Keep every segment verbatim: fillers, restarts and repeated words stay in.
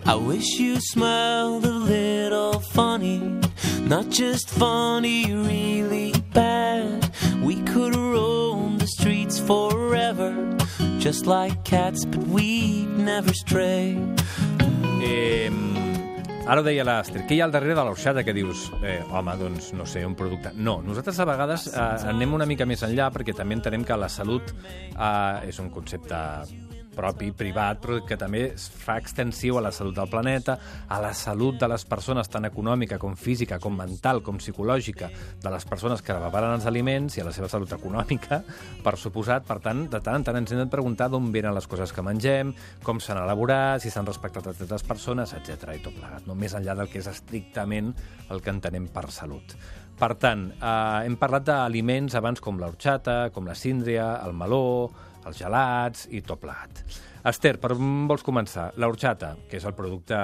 I wish you smiled a little funny, not just funny, really bad. We could roam the streets forever, just like cats, but we'd never stray. Eh, ara ho deia l'Aster, què hi ha al darrere de l'orxata que dius, eh, home, doncs, no sé, un producte... No, nosaltres a vegades eh, anem una mica més enllà perquè també entenem que la salut eh, és un concepte propi, privat, però que també es fa extensiu a la salut del planeta, a la salut de les persones, tant econòmica com física, com mental, com psicològica, de les persones que preparen els aliments i a la seva salut econòmica, per suposat. Per tant, de tant en tant ens hem de preguntar d'on venen les coses que mengem, com s'han elaborat, si s'han respectat a totes les persones, etcètera i tot plegat, no més enllà del que és estrictament el que entenem per salut. Per tant, eh, hem parlat d'aliments abans com l'orxata, com la síndria, el meló, els gelats i tot plegat. Esther, per on vols començar? L'orxata, que és el producte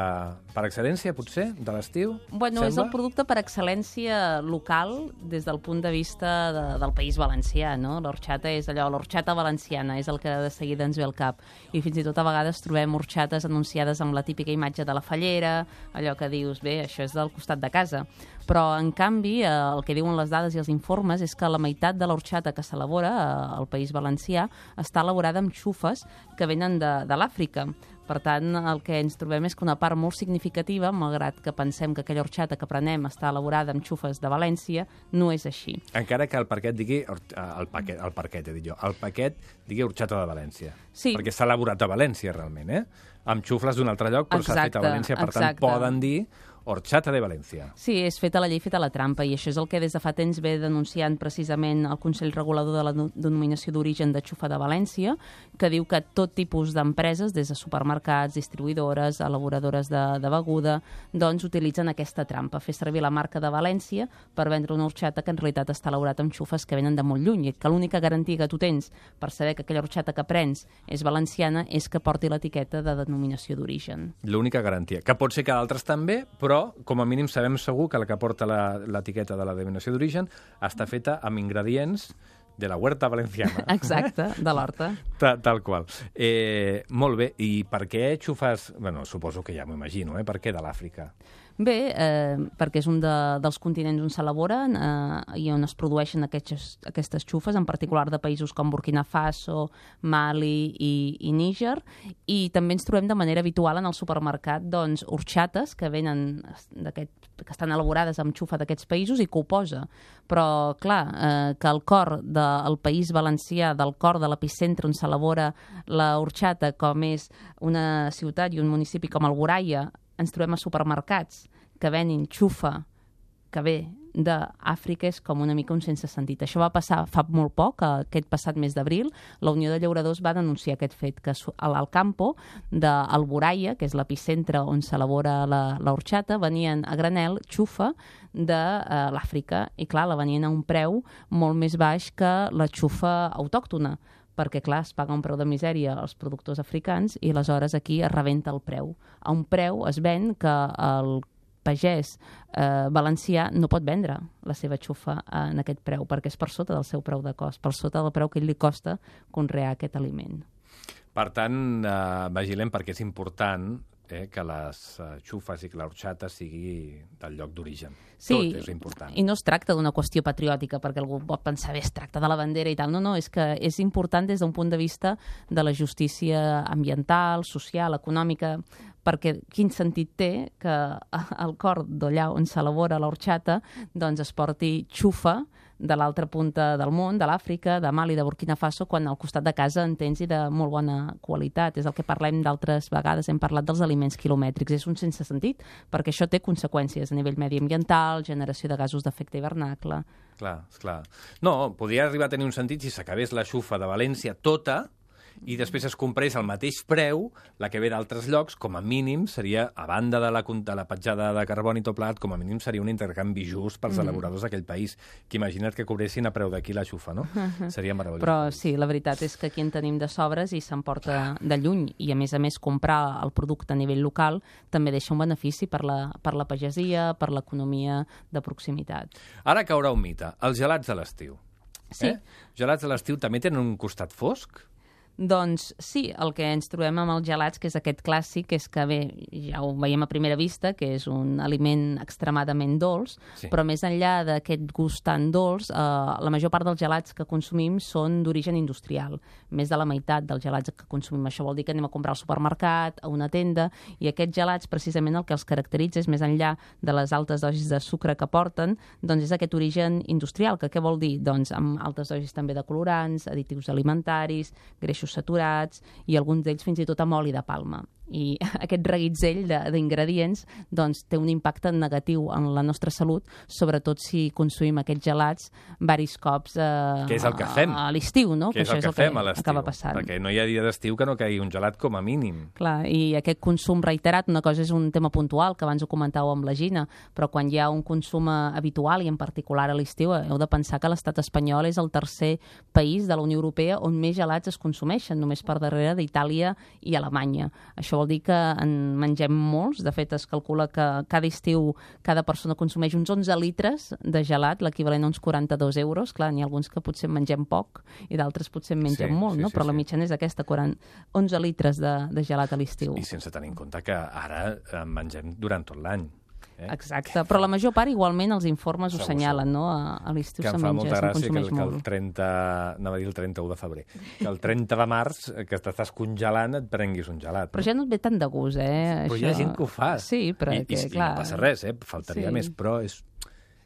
per excel·lència, potser, de l'estiu? Bueno, sembla? És el producte per excel·lència local des del punt de vista de, del País Valencià, no? L'orxata és allò, l'orxata valenciana, és el que de seguida ens ve al cap. I fins i tot a vegades trobem orxates anunciades amb la típica imatge de la fallera, allò que dius, bé, això és del costat de casa. Però, en canvi, eh, el que diuen les dades i els informes és que la meitat de l'orxata que s'elabora eh, al País Valencià està elaborada amb xufes que venen de, de l'Àfrica. Per tant, el que ens trobem és que una part molt significativa, malgrat que pensem que aquella orxata que prenem està elaborada amb xufes de València, no és així. Encara que el paquet digui... El paquet, el paquet, he dit jo. El paquet digui orxata de València. Sí. Perquè s'ha elaborat a València, realment, eh? Amb xufles d'un altre lloc, però s'ha fet a València. Per exacte. tant, poden dir orxata de València. Sí, és feta la llei, feta la trampa, i això és el que des de fa temps ve denunciant precisament el Consell Regulador de la Denominació d'Origen de Xufa de València, que diu que tot tipus d'empreses, des de supermercats, distribuïdores, elaboradores de, de beguda, doncs utilitzen aquesta trampa, fer servir la marca de València per vendre una orxata que en realitat està elaborada amb xufes que venen de molt lluny, i que l'única garantia que tu tens per saber que aquella orxata que prens és valenciana és que porti l'etiqueta de denominació d'origen. L'única garantia. Que pot ser que d'altres també, però però, com a mínim, sabem segur que la que porta l'etiqueta de la denominació d'origen està feta amb ingredients de la huerta valenciana. Exacte, de l'horta. Tal, tal qual. Eh, molt bé, i per què xufes... Bueno, suposo que ja m'ho imagino, eh? Per què de l'Àfrica? Bé, eh, perquè és un de, dels continents on s'elaboren eh, i on es produeixen aquestes, aquestes xufes, en particular de països com Burkina Faso, Mali i, i Níger, i també ens trobem de manera habitual en el supermercat doncs, orxates que venen que estan elaborades amb xufa d'aquests països i que ho posa. Però, clar, eh, que el cor del País Valencià, del cor de l'epicentre on s'elabora la orxata, com és una ciutat i un municipi com Alboraia, ens trobem a supermercats que venin xufa que ve d'Àfrica, és com una mica un sense sentit. Això va passar fa molt poc, aquest passat mes d'abril, la Unió de Llauradors va denunciar aquest fet, que a l'Alcampo d'Alboraia, que és l'epicentre on s'elabora l'orxata, venien a granel xufa de uh, l'Àfrica, i clar, la venien a un preu molt més baix que la xufa autòctona, perquè, clar, es paga un preu de misèria als productors africans i aleshores aquí es rebenta el preu. A un preu es ven que el pagès eh, valencià no pot vendre la seva xufa en aquest preu, perquè és per sota del seu preu de cost, per sota del preu que ell li costa conrear aquest aliment. Per tant, eh, vigilem perquè és important eh, que les uh, xufes i que l'orxata sigui del lloc d'origen. Sí, tot és important. I no es tracta d'una qüestió patriòtica, perquè algú pot pensar, bé, es tracta de la bandera i tal. No, no, és que és important des d'un punt de vista de la justícia ambiental, social, econòmica, perquè quin sentit té que al cor d'allà on s'elabora l'orxata doncs es porti xufa de l'altra punta del món, de l'Àfrica, de Mali, de Burkina Faso, quan al costat de casa en tens i de molt bona qualitat. És el que parlem d'altres vegades, hem parlat dels aliments quilomètrics. És un sense sentit, perquè això té conseqüències a nivell mediambiental, generació de gasos d'efecte hivernacle. Clar, esclar. No, podria arribar a tenir un sentit si s'acabés la xufa de València tota i després es comprés al mateix preu la que ve d'altres llocs, com a mínim seria, a banda de la, de la petjada de carboni tot plegat, com a mínim seria un intercanvi just pels mm. elaboradors d'aquell país, que imagina't que cobressin a preu d'aquí la xufa, no? Seria meravellós. Però sí, la veritat és que aquí en tenim de sobres i s'emporta de lluny, i a més a més comprar el producte a nivell local també deixa un benefici per la, per la pagesia, per l'economia de proximitat. Ara caurà un mite, els gelats de l'estiu. Sí. Eh? Gelats de l'estiu també tenen un costat fosc? Doncs sí, el que ens trobem amb els gelats, que és aquest clàssic, és que bé, ja ho veiem a primera vista, que és un aliment extremadament dolç, Sí. però més enllà d'aquest gust tan dolç, eh, la major part dels gelats que consumim són d'origen industrial. Més de la meitat dels gelats que consumim. Això vol dir que anem a comprar al supermercat, a una tenda, i aquests gelats, precisament el que els caracteritza és, més enllà de les altes dosis de sucre que porten, doncs és aquest origen industrial, que què vol dir? Doncs amb altes dosis també de colorants, additius alimentaris, greixos saturats i alguns d'ells fins i tot amb oli de palma. I aquest reguitzell de- d'ingredients doncs, té un impacte negatiu en la nostra salut, sobretot si consumim aquests gelats varis cops eh, Que és el que fem. a l'estiu, no? Que és el això que és fem a el que l'estiu. acaba passant. Perquè no hi ha dia d'estiu que no caigui un gelat com a mínim. Clar, i aquest consum reiterat, una cosa és un tema puntual, que abans ho comentàveu amb la Gina, però quan hi ha un consum eh, habitual, i en particular a l'estiu, heu de pensar que l'estat espanyol és el tercer país de la Unió Europea on més gelats es consumeixen, només per darrere d'Itàlia i Alemanya. Això vol dir que en mengem molts. De fet, es calcula que cada estiu cada persona consumeix uns onze litres de gelat, l'equivalent a uns quaranta-dos euros. Clar, n'hi ha alguns que potser en mengem poc i d'altres potser en mengem Sí, molt, sí, no? sí, Però la sí. mitjana és aquesta, quaranta, onze litres de, de gelat a l'estiu. I sense tenir en compte que ara en mengem durant tot l'any. Eh? Exacte, però la major part igualment els informes ho Segur, assenyalen, no? A, a l'estiu Que se em fa menja, molta se'n gràcia que consumeix el, que el molt. trenta... Anava a dir el trenta-u de febrer. Que el trenta de març, eh, que t'estàs congelant, et prenguis un gelat. Però ja no et ve tant de gust, eh? Però això... hi ha gent que ho fa. Sí, però I, que, i, clar... I no passa res, eh? Faltaria Sí. més, però és...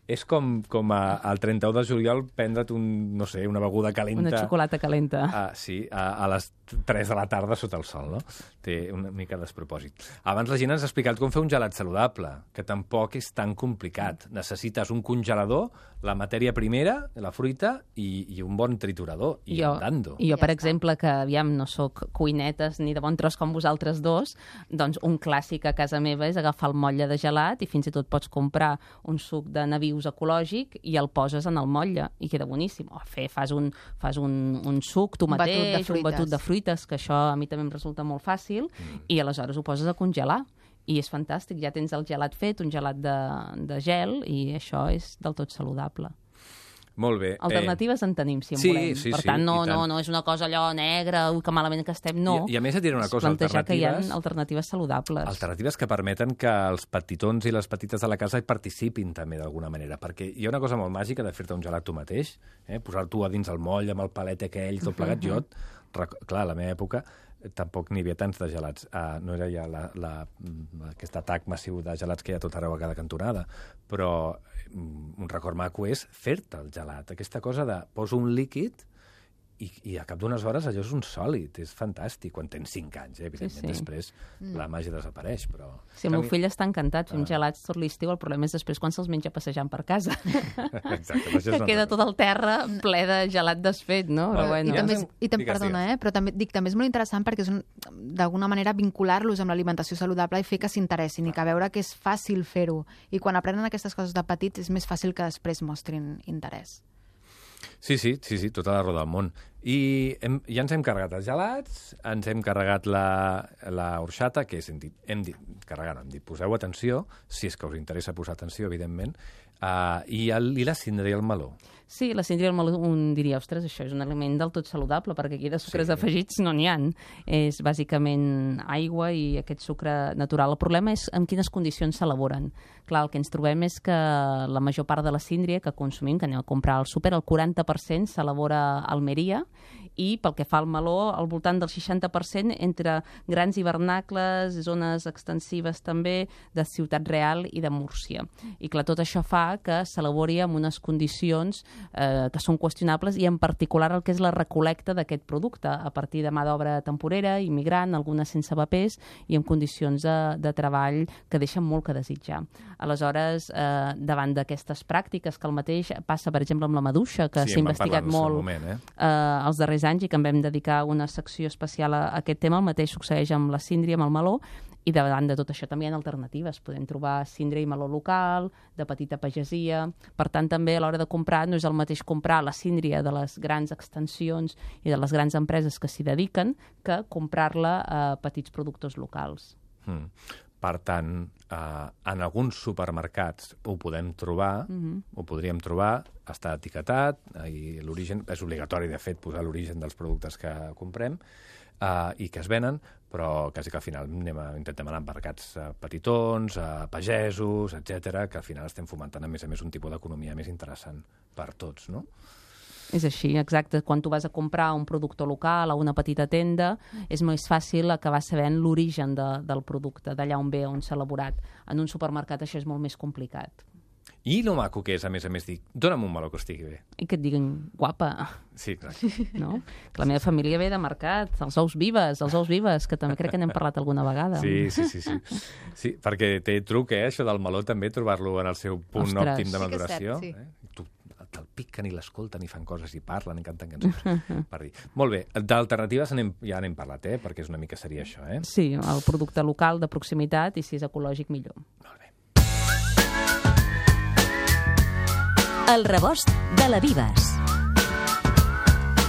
És com, com a, al trenta-u de juliol prendre't un, no sé, una beguda calenta. Una xocolata calenta. Ah, sí, a, a les tres de la tarda sota el sol, no? Té una mica despropòsit. Abans la Gina ens ha explicat com fer un gelat saludable, que tampoc és tan complicat. Necessites un congelador, la matèria primera, la fruita, i, i un bon triturador, i jo, andando. I jo, Ja per està. exemple, que aviam no sóc cuinetes ni de bon tros com vosaltres dos, doncs un clàssic a casa meva és agafar el motlle de gelat i fins i tot pots comprar un suc de navius ecològic i el poses en el motlle i queda boníssim. O fer, fas un, fas un, un suc tu Un batut de mateix, un fruites. batut de fruites, que això a mi també em resulta molt fàcil, mm. i aleshores ho poses a congelar. I és fantàstic, ja tens el gelat fet, un gelat de, de gel, i això és del tot saludable. Molt bé. Alternatives en tenim, si en sí, volem. sí, per sí, tant, no, i tant. no, no és una cosa allò negra, ui, que malament que estem, no. I, I a més et diré una És cosa, plantejar que hi ha alternatives... alternatives saludables. Alternatives que permeten que els petitons i les petites de la casa hi participin també d'alguna manera, perquè hi ha una cosa molt màgica de fer-te un gelat tu mateix, eh? Posar-t'ho a dins el moll amb el palet aquell, tot plegat. Jo, rec- clar, a la meva època eh, tampoc n'hi havia tants de gelats. Uh, no era ja la, la, mm, aquest atac massiu de gelats que hi ha tot arreu a cada cantonada, però mm, un record maco és fer-te el gelat. Aquesta cosa de poso un líquid i, i a cap d'unes hores allò és un sòlid, és fantàstic, quan tens cinc anys, eh? Evidentment, Sí, sí. després la màgia desapareix, però... Si el meu Canvi- fill està encantat fent Ah. gelats tot l'estiu, el problema és després quan se'ls menja passejant per casa. Exacte, però això és que una queda altra tot el terra ple de gelat desfet, no? Però Vale. bueno. I també, és, Digues, i tam, perdona, digues. eh? però també, dic, també és molt interessant perquè és un- d'alguna manera vincular-los amb l'alimentació saludable i fer que s'interessin i que veure que és fàcil fer-ho. I quan aprenen aquestes coses de petits és més fàcil que després mostrin interès. Sí, sí, sí, sí, tota la roda del món. I hem, ja ens hem carregat els gelats, ens hem carregat la, la horxata, que és, hem dit, hem dit, carregar, no, hem dit, poseu atenció, si és que us interessa posar atenció, evidentment, uh, i, el, i la cindra i el meló. Sí, la cindra i el meló, un diria, ostres, això és un aliment del tot saludable, perquè aquí de sucres Sí. afegits no n'hi ha. És bàsicament aigua i aquest sucre natural. El problema és en quines condicions s'elaboren. Clar, el que ens trobem és que la major part de la síndria que consumim, que anem a comprar al súper, el quaranta per cent s'elabora a Almeria, i pel que fa al meló, al voltant del seixanta per cent entre grans hivernacles, zones extensives també, de Ciutat Real i de Múrcia. I clar, tot això fa que s'elabori amb unes condicions eh, que són qüestionables, i en particular el que és la recolecta d'aquest producte a partir de mà d'obra temporera, immigrant, algunes sense papers i en condicions de, de treball que deixen molt que desitjar. Aleshores, eh, davant d'aquestes pràctiques, que el mateix passa, per exemple, amb la maduixa, que Sí, s'ha en vam investigat parlar en el seu molt moment, eh? eh, els darrers anys i que en vam dedicar una secció especial a, a aquest tema, el mateix succeeix amb la síndria, amb el meló, i davant de tot això també hi ha alternatives. Podem trobar síndria i meló local, de petita pagesia. Per tant, també a l'hora de comprar no és el mateix comprar la síndria de les grans extensions i de les grans empreses que s'hi dediquen que comprar-la a petits productors locals. Mm. Per tant, eh, en alguns supermercats ho podem trobar, Mhm. ho podríem trobar, està etiquetat, i l'origen és obligatori, de fet, posar l'origen dels productes que comprem eh, i que es venen, però quasi que al final anem a, intentem anar a mercats eh, petitons, a pagesos, etcètera, que al final estem fomentant, a més a més, un tipus d'economia més interessant per tots, no? És així, exacte. Quan tu vas a comprar un productor local a una petita tenda, és més fàcil acabar sabent l'origen de, del producte, d'allà on ve, on s'ha elaborat. En un supermercat això és molt més complicat. I lo maco que és, a més a més, dir, dona'm un meló que estigui bé. I que et diguin, guapa, Sí, clar. no? Que la meva família ve de mercat, els ous vives, els ous vives, que també crec que n'hem parlat alguna vegada. Sí, sí, sí, sí. Sí, perquè té truc, eh, això del meló, també, trobar-lo en el seu punt Ostres. òptim de Sí que és maduració. cert, sí. Eh? Tu te'l piquen i l'escolten i fan coses i parlen i canten cançons. Per dir. Molt bé, d'alternatives anem, ja n'hem parlat, eh? Perquè és una mica seria això, eh? Sí, el producte local de proximitat i si és ecològic millor. Molt bé. El rebost de la Vives.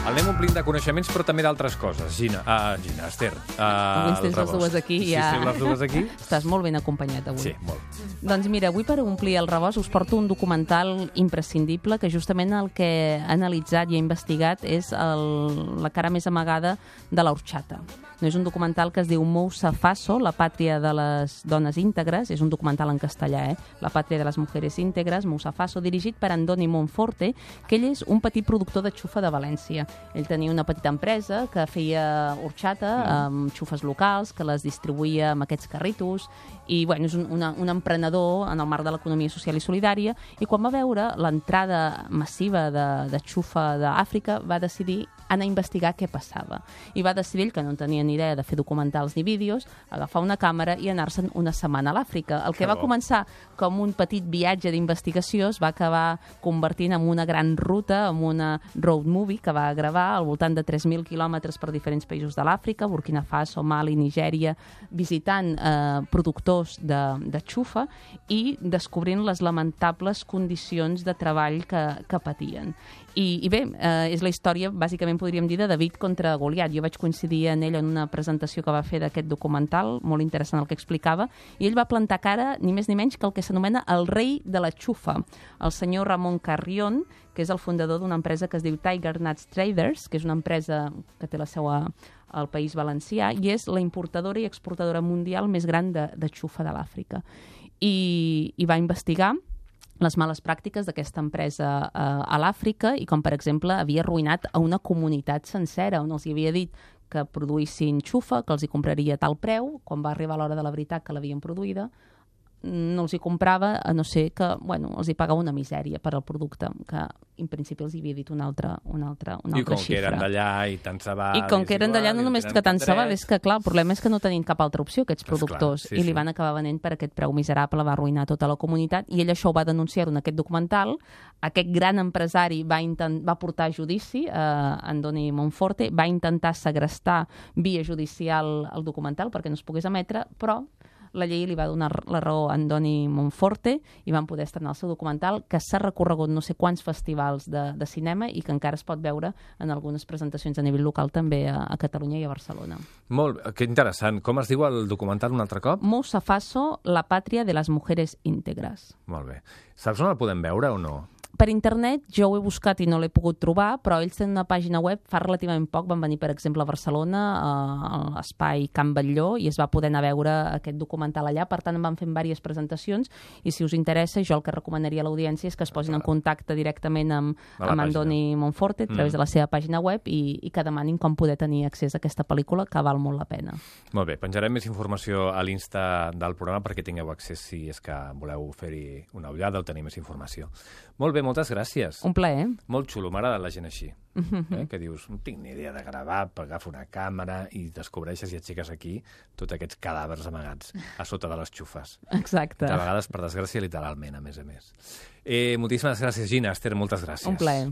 El anem omplint de coneixements, però també d'altres coses. Gina, uh, Gina, Esther. Uh, Avui ens tens les rebost. dues aquí, Sí, ja. sí, les dues aquí. Estàs molt ben acompanyat avui. Sí, molt. Doncs mira, avui per omplir el rebost us porto un documental imprescindible que justament el que ha analitzat i ha investigat és el, la cara més amagada de l'horchata. No és un documental que es diu Moussa Faso, la pàtria de les dones íntegres, és un documental en castellà, eh? La pàtria de les mujeres íntegres, Moussa Faso, dirigit per Andoni Monforte, que ell és un petit productor de xufa de València. Ell tenia una petita empresa que feia horchata amb xufes locals, que les distribuïa amb aquests carritos, i bueno, és un, una, un emprenedor en el marc de l'economia social i solidària, i quan va veure l'entrada massiva de, de xufa d'Àfrica va decidir anar a investigar què passava. I va decidir ell, que no tenia ni idea de fer documentals ni vídeos, agafar una càmera i anar-se'n una setmana a l'Àfrica. El que Que va bo. començar com un petit viatge d'investigació es va acabar convertint en una gran ruta, en una road movie que va gravar al voltant de tres mil quilòmetres per diferents països de l'Àfrica, Burkina Faso, Mali, Nigèria, visitant eh, productors de, de xufa i descobrint les lamentables condicions de treball que, que patien. I, i bé, eh, és la història, bàsicament podríem dir, de David contra Goliat. Jo vaig coincidir en ell en una presentació que va fer d'aquest documental, molt interessant el que explicava, i ell va plantar cara, ni més ni menys, que el que s'anomena el rei de la xufa, el senyor Ramon Carrion, que és el fundador d'una empresa que es diu Tiger Nuts Traders, que és una empresa que té la seu a, al País Valencià, i és la importadora i exportadora mundial més gran de, de xufa de l'Àfrica. I, I va investigar les males pràctiques d'aquesta empresa eh, a l'Àfrica i com, per exemple, havia arruïnat a una comunitat sencera on els hi havia dit que produïssin xufa, que els hi compraria a tal preu, quan va arribar l'hora de la veritat que l'havien produïda, no els hi comprava, a no ser que, bueno, els hi pagava una misèria per al producte, que en principi els hi havia dit una altra, una altra, una I altra com xifra. que eren d'allà i tant se val... I com que eren d'allà, no només que tant se val, és que, clar, el problema és que no tenien cap altra opció, aquests Esclar, productors, sí, i li sí. van acabar venent per aquest preu miserable, va arruïnar tota la comunitat, i ell això ho va denunciar en aquest documental. Aquest gran empresari va, intent, va portar a judici, eh, Andoni Monforte, va intentar segrestar via judicial el documental perquè no es pogués emetre, però la llei li va donar la raó a Andoni Monforte i van poder estrenar el seu documental, que s'ha recorregut no sé quants festivals de, de cinema i que encara es pot veure en algunes presentacions a nivell local també a, a Catalunya i a Barcelona. Molt, que interessant. Com es diu el documental un altre cop? Moussa Faso, la pàtria de les mujeres íntegres. Molt bé. Saps on el podem veure o no? Per internet jo ho he buscat i no l'he pogut trobar, però ells tenen una pàgina web, fa relativament poc van venir, per exemple, a Barcelona, a l'espai Can Batlló, i es va poder anar a veure aquest documental allà, per tant en van fent diverses presentacions, i si us interessa, jo el que recomanaria a l'audiència és que es posin en contacte directament amb, A la amb pàgina. Andoni Monforte a través Mm. de la seva pàgina web i, i que demanin com poder tenir accés a aquesta pel·lícula, que val molt la pena. Molt bé, penjarem més informació a l'Insta del programa perquè tingueu accés si és que voleu fer-hi una ullada o tenir més informació. Molt bé, moltes gràcies. Un plaer. Molt xulo, m'agrada la gent així. Eh? Que dius, no tinc ni idea de gravar, agafo una càmera i descobreixes i aixeques aquí tots aquests cadàvers amagats a sota de les xufes. Exacte. De vegades, per desgràcia, literalment, a més a més. Eh, moltíssimes gràcies, Gina. Esther, moltes gràcies. Un plaer.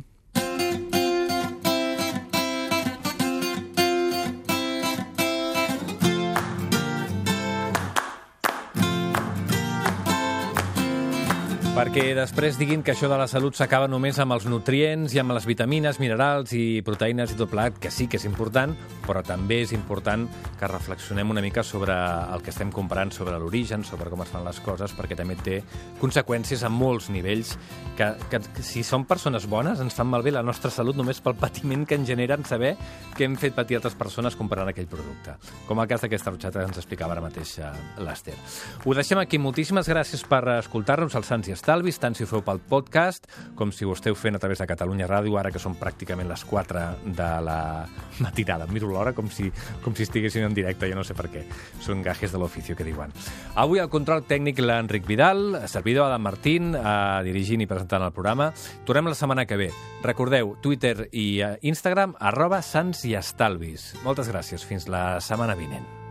Perquè perquè després diguin que això de la salut s'acaba només amb els nutrients i amb les vitamines, minerals i proteïnes i tot plegat, que sí que és important, però també és important que reflexionem una mica sobre el que estem comprant, sobre l'origen, sobre com es fan les coses, perquè també té conseqüències a molts nivells, que, que si som persones bones ens fan malbé la nostra salut només pel patiment que ens generen saber que hem fet patir altres persones comprant aquell producte. Com el cas d'aquesta rotxata que ens explicava ara mateix l'Ester. Ho deixem aquí. Moltíssimes gràcies per escoltar-nos als Sants i Estalvis, tant si ho feu pel podcast com si ho esteu fent a través de Catalunya Ràdio, ara que són pràcticament les quatre de la matinada. Miro l'hora com si, com si estiguessin en directe, jo no sé per què. Són gajes de l'oficio, que diuen. Avui al control tècnic l'Enric Vidal, servidor Adam Martín, eh, dirigint i presentant el programa. Tornem la setmana que ve. Recordeu, Twitter i Instagram, arroba Sants i Estalvis. Moltes gràcies. Fins la setmana vinent.